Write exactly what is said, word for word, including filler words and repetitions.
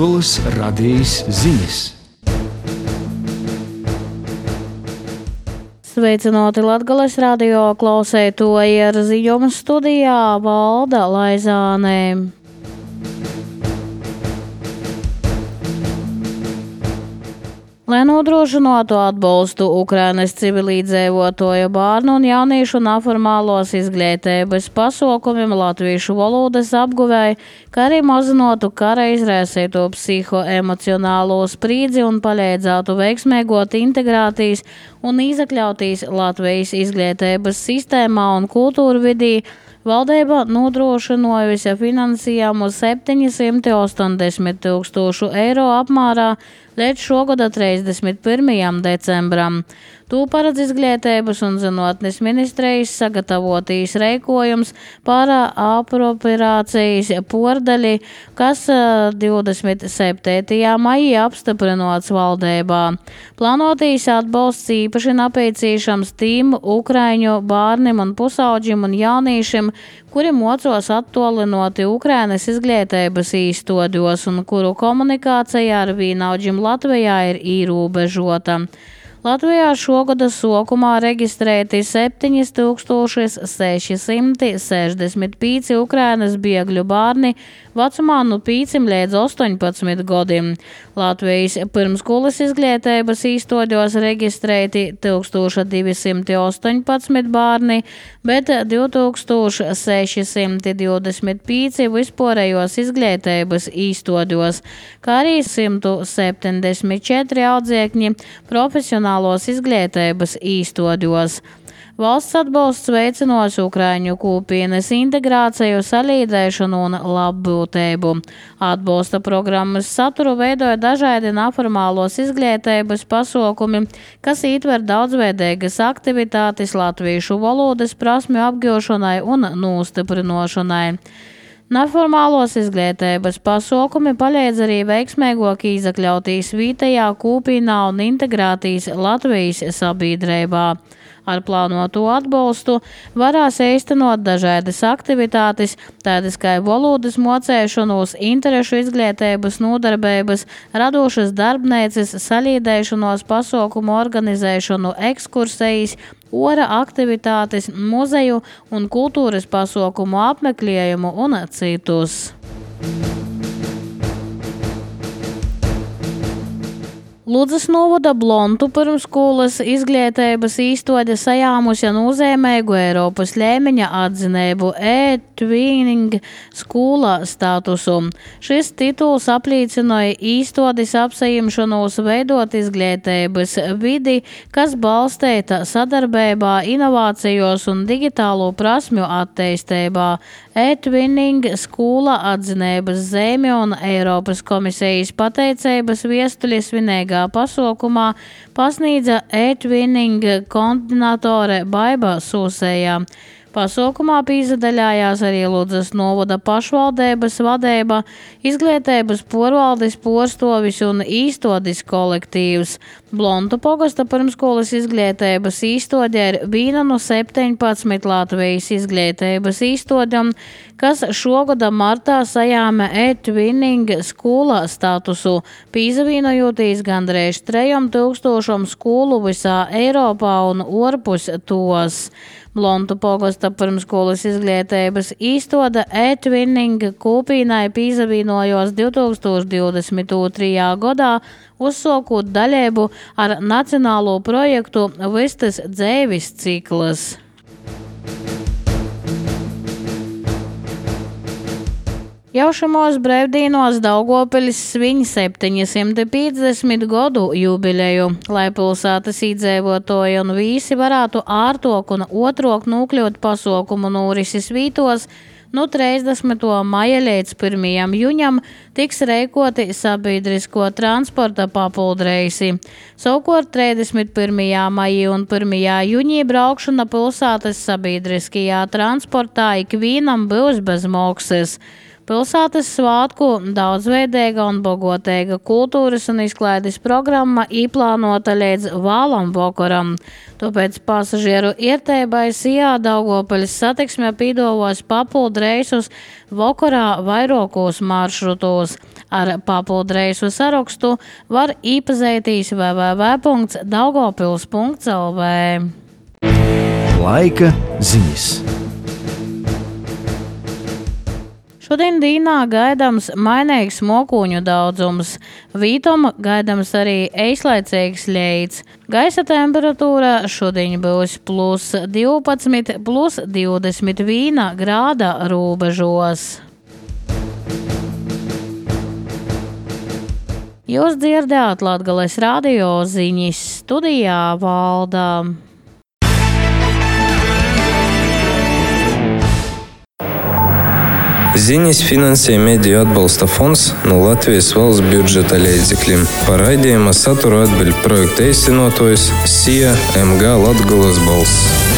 Latgolas radijas ziņas. Sveicināti Latgolas radio klausētoji, ar ziņojumu studijā Valda Laizānē. Lai nodrošinātu atbalstu Ukrainas civilizējoto bērnu un jauniešu neformālos izglītības pasākumiem latviešu valodas apguvēji, kā arī mazinātu kara izraisīto psihoemocionālo spriedzi un palīdzētu veiksmīgot integrācijas un izakļautīs Latvijas izglītības sistēmā un kultūra vidī, valdība nodrošinājusi finansējumu septiņsimt ostoņdesmit tūkstošu eiro apmērā līdz šogada trīsdesmit pirmajam decembram. To paredz Izglītības un zinātnes ministrijas sagatavotīs rīkojums par apropriācijas pordaļi, kas divdesmit septītajā maijā apstiprināts valdībā. Plānotīs atbalsts īpaši nepieciešams tiem ukraiņu bērniem un pusauģiem un jauniešiem, kuri mocos attolinoti Ukrainas izglītības īstoļos un kuru komunikācija ar vienaudžiem Latvijā ir ierobežota. Latvijā šogada sākumā reģistrēti septiņi tūkstoši seši simti sešdesmit pieci Ukrainas bēgļu bērni vecumā no pieciem līdz astoņpadsmit gadiem. Latvijas pirmskolas izglītības īstoļos reģistrēti tūkstoš divi simti astoņpadsmit bērni, bet divi tūkstoši seši simti divdesmit pieci vispārējos izglītības īstoļos, kā arī simt septiņdesmit četri audzēkņi profesionālos izglītības īstoļos. Valsts atbalsts veicinās ukraiņu kopienas integrāciju, salīdzēšanu un labbūtību. Atbalsta programmas saturu veidoja dažādi neformālos izglītības pasākumi, kas ietver daudzveidīgas aktivitātes latviešu valodas prasmju apgūšanai un nostiprināšanai. Neformālos izglītības pasākumi palīdz arī veiksmīgāk izakļautīs vietējā kopienā un integrētīs Latvijas sabiedrībā. Ar plānoto atbalstu varēs īstenot dažādas aktivitātes, tādas kā valodas mocēšanos, interešu izglītības nodarbības, radošas darbnīcas, salīdzēšanos pasākumu organizēšanu, ekskursijas, ora aktivitātes, muzeju un kultūras pasākumu apmeklējumu un citus. Ludzas novada Blontu pirmskolas izglītības īstoļa sajāmusi nozīmīgu Eiropas līmeņa atzinību e-twinning skolā statusu. Šis tituls apliecināja īstoļas apsaimšanos veidot izglītības vidi, kas balstīta sadarbībā, inovācijos un digitālo prasmju attīstībā. E-twinning skola atzinības zīme un Eiropas komisijas pateicības viestuļi svinīgā pasaukumā pasniedza e-twinning koordinatore Baiba Sūsējā. Pasaukumā pīzadaļājās arī Ludzas novada pašvaldības vadība, izglītības porvaldes porstovis un īstoļis kolektīvs. Blontu pogasta pirmskolas izglītības īstoļa ir viena no septiņpadsmit Latvijas izglītības īstoļiem, kas šogada martā sajāma e-twinning skolā statusu, pīzavīnojoties gandrīz trejam tūkstošam skolu visā Eiropā un orpus tos. Blontu pogasta pirmskolas izglītības īstoļa e-twinning kopienai pīzavīnojos divi tūkstoši divdesmit otrajā gadā, uzsākot dalību ar nacionālo projektu Vistas dzeivis cikls. Jau šamos brīvdīnos Daugavpilis svin septiņsimt piecdesmit gadu jubileju, lai pilsētas iedzīvotāji un visi varētu ārtok un otrok nokļūt pasākumu norises vītos. No trīsdesmitā maija līdz pirmajam jūņam tiks rīkoti sabiedrisko transporta papuldreisi. Savukārt trīsdesmit pirmajā maijā un pirmajā jūņā braukšana pilsētas sabiedriskajā transportā ikvienam būs bez maksas. Pilsētas svātku daudzveidīga un bagoteiga kultūras un izklaides programma īplānota līdz vālam vokoram. Tāpēc pasažieru ierteibai Sijā Daugopeļas satiksme pīdovos papildu reisus vokorā vairākos maršrutos. Ar papildu reisu sarakstu var īpazeitīs w w w punkts daugavpils punkts l v. Laika ziņas. Šodien dīnā gaidams mainīgs mokuņu daudzums. Vītom gaidams arī eislaicīgs ļeits. Gaisa temperatūra šodien būs plus divpadsmit, plus divdesmit viena grāda robežos. Jūs dzirdējāt Latgales radio ziņas, studijā Valda. Ziņas finansē Mediju atbalsta fonds no Latvijas valsts budžeta līdzekļiem. Par raidījuma saturu atbild projekta īstenotājs Sija M G Latgales balss.